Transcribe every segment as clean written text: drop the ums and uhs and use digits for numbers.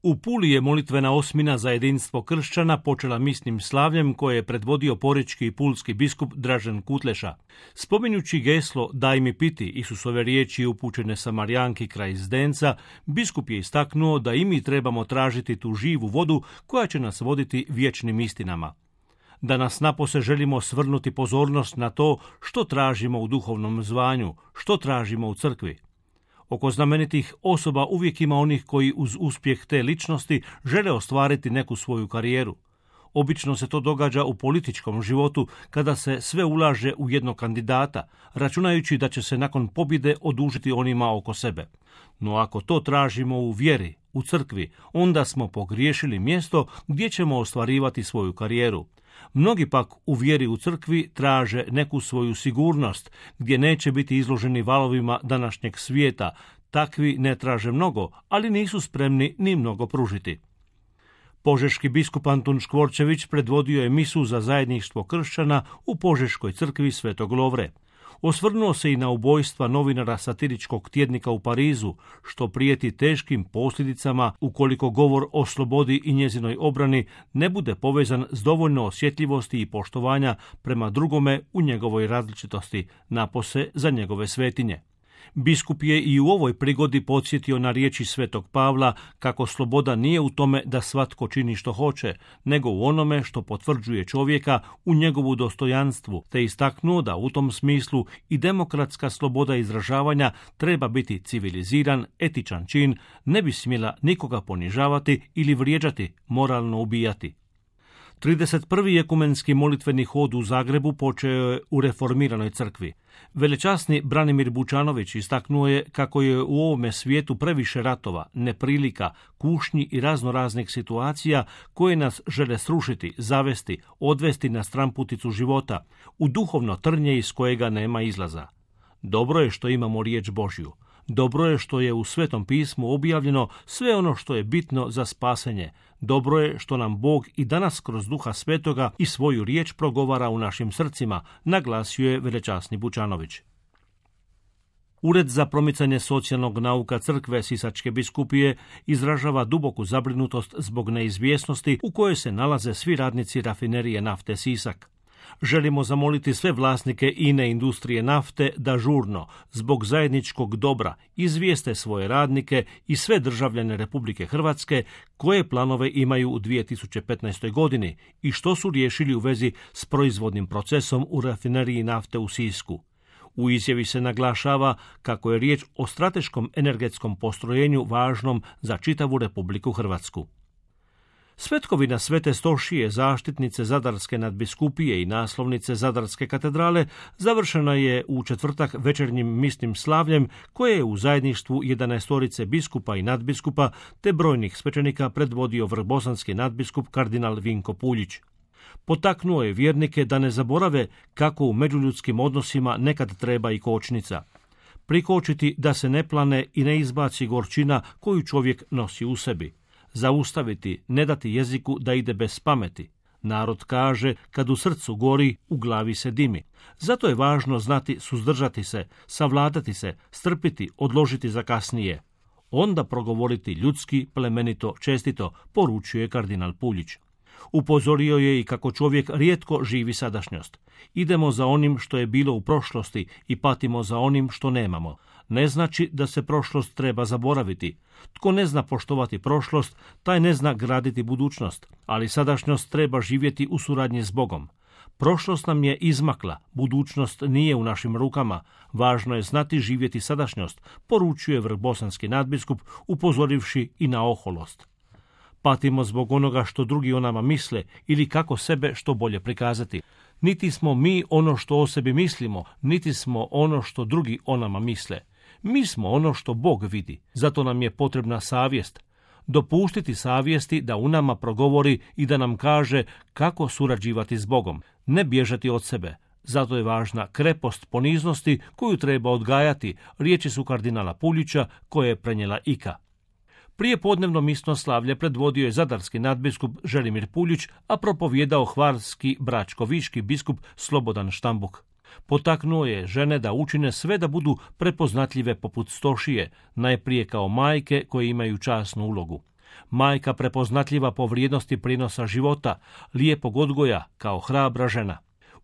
U Puli je molitvena osmina za jedinstvo kršćana počela misnim slavljem koje je predvodio porečki i pulski biskup Dražen Kutleša. Spominjući geslo Daj mi piti, Isusove riječi upućene Samarijanki kraj Zdenca, biskup je istaknuo da i mi trebamo tražiti tu živu vodu koja će nas voditi vječnim istinama. Danas napose želimo svrnuti pozornost na to što tražimo u duhovnom zvanju, što tražimo u crkvi. Oko znamenitih osoba uvijek ima onih koji uz uspjeh te ličnosti žele ostvariti neku svoju karijeru. Obično se to događa u političkom životu kada se sve ulaže u jednog kandidata, računajući da će se nakon pobjede odužiti onima oko sebe. No ako to tražimo u vjeri, u crkvi, onda smo pogriješili mjesto gdje ćemo ostvarivati svoju karijeru. Mnogi pak u vjeri u crkvi traže neku svoju sigurnost, gdje neće biti izloženi valovima današnjeg svijeta. Takvi ne traže mnogo, ali nisu spremni ni mnogo pružiti. Požeški biskup Antun Škvorčević predvodio je misu za zajedništvo kršćana u Požeškoj crkvi Svetog Lovre. Osvrnuo se i na ubojstva novinara satiričkog tjednika u Parizu, što prijeti teškim posljedicama ukoliko govor o slobodi i njezinoj obrani ne bude povezan s dovoljno osjetljivosti i poštovanja prema drugome u njegovoj različitosti, napose za njegove svetinje. Biskup je i u ovoj prigodi podsjetio na riječi Svetog Pavla kako sloboda nije u tome da svatko čini što hoće, nego u onome što potvrđuje čovjeka u njegovu dostojanstvu, te istaknuo da u tom smislu i demokratska sloboda izražavanja treba biti civiliziran, etičan čin, ne bi smjela nikoga ponižavati ili vrijeđati, moralno ubijati. 31. ekumenski molitveni hod u Zagrebu počeo je u reformiranoj crkvi. Velečasni Branimir Bučanović istaknuo je kako je u ovome svijetu previše ratova, neprilika, kušnji i raznoraznih situacija koje nas žele srušiti, zavesti, odvesti na stramputicu života, u duhovno trnje iz kojega nema izlaza. Dobro je što imamo riječ Božju. Dobro je što je u Svetom pismu objavljeno sve ono što je bitno za spasenje. Dobro je što nam Bog i danas kroz Duha Svetoga i svoju riječ progovara u našim srcima, naglasio je velečasni Bučanović. Ured za promicanje socijalnog nauka Crkve Sisačke biskupije izražava duboku zabrinutost zbog neizvjesnosti u kojoj se nalaze svi radnici rafinerije nafte Sisak. Želimo zamoliti sve vlasnike INA industrije nafte da žurno, zbog zajedničkog dobra, izvijeste svoje radnike i sve državljane Republike Hrvatske koje planove imaju u 2015. godini i što su riješili u vezi s proizvodnim procesom u rafineriji nafte u Sisku. U izjavi se naglašava kako je riječ o strateškom energetskom postrojenju važnom za čitavu Republiku Hrvatsku. Svetkovina Svete Stošije, zaštitnice Zadarske nadbiskupije i naslovnice Zadarske katedrale završena je u četvrtak večernjim misnim slavljem koje je u zajedništvu 11 biskupa i nadbiskupa te brojnih svećenika predvodio vrbosanski nadbiskup kardinal Vinko Puljić. Potaknuo je vjernike da ne zaborave kako u međuljudskim odnosima nekad treba i kočnica. Prikočiti da se ne plane i ne izbaci gorčina koju čovjek nosi u sebi. Zaustaviti, ne dati jeziku da ide bez pameti. Narod kaže, kad u srcu gori, u glavi se dimi. Zato je važno znati suzdržati se, savladati se, strpiti, odložiti za kasnije. Onda progovoriti ljudski, plemenito, čestito, poručuje kardinal Puljić. Upozorio je i kako čovjek rijetko živi sadašnjost. Idemo za onim što je bilo u prošlosti i patimo za onim što nemamo. Ne znači da se prošlost treba zaboraviti. Tko ne zna poštovati prošlost, taj ne zna graditi budućnost, ali sadašnjost treba živjeti u suradnji s Bogom. Prošlost nam je izmakla, budućnost nije u našim rukama, važno je znati živjeti sadašnjost, poručuje vrbosanski nadbiskup, upozorivši i na oholost. Patimo zbog onoga što drugi o nama misle ili kako sebe što bolje prikazati. Niti smo mi ono što o sebi mislimo, niti smo ono što drugi o nama misle. Mi smo ono što Bog vidi, zato nam je potrebna savjest. Dopustiti savjesti da u nama progovori i da nam kaže kako surađivati s Bogom, ne bježati od sebe. Zato je važna krepost poniznosti koju treba odgajati, riječi su kardinala Puljića koje je prenijela Ika. Prije podnevno misno slavlje predvodio je zadarski nadbiskup Želimir Puljić, a propovijedao hvarski bračkoviški biskup Slobodan Štambuk. Potaknuo je žene da učine sve da budu prepoznatljive poput Stošije, najprije kao majke koje imaju časnu ulogu. Majka prepoznatljiva po vrijednosti prinosa života, lijepog odgoja kao hrabra žena.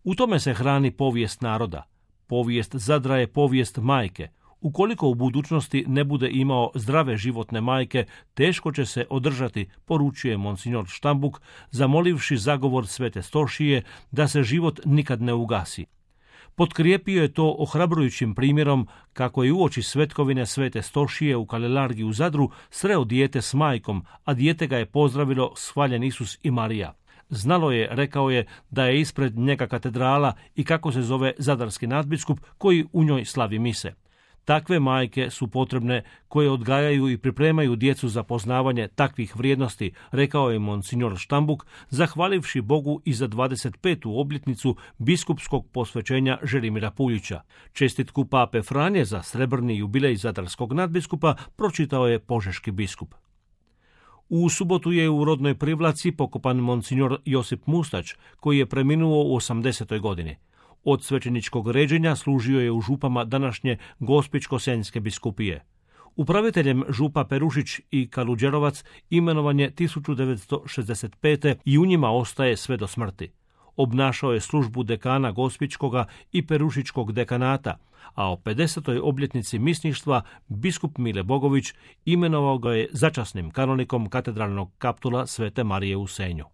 U tome se hrani povijest naroda. Povijest Zadra je povijest majke. Ukoliko u budućnosti ne bude imao zdrave životne majke, teško će se održati, poručuje monsignor Štambuk, zamolivši zagovor Svete Stošije da se život nikad ne ugasi. Potkrijepio je to ohrabrujućim primjerom kako je uoči svetkovine Svete Stošije u Kalelargi u Zadru sreo dijete s majkom, a dijete ga je pozdravilo s hvaljen Isus i Marija. Znalo je, rekao je, da je ispred njega katedrala i kako se zove zadarski nadbiskup koji u njoj slavi mise. Takve majke su potrebne koje odgajaju i pripremaju djecu za poznavanje takvih vrijednosti, rekao je monsignor Štambuk, zahvalivši Bogu i za 25. obljetnicu biskupskog posvećenja Želimira Puljića. Čestitku pape Franje za srebrni jubilej zadarskog nadbiskupa pročitao je požeški biskup. U subotu je u rodnoj Privlaci pokopan monsignor Josip Mustać, koji je preminuo u 80. godini. Od svećeničkog ređenja služio je u župama današnje Gospićko-senjske biskupije. Upraviteljem župa Perušić i Kaluđerovac imenovan je 1965. i u njima ostaje sve do smrti. Obnašao je službu dekana Gospićkoga i Perušičkog dekanata, a o 50. obljetnici misništva biskup Mile Bogović imenovao ga je začasnim kanonikom katedralnog kaptula Svete Marije u Senju.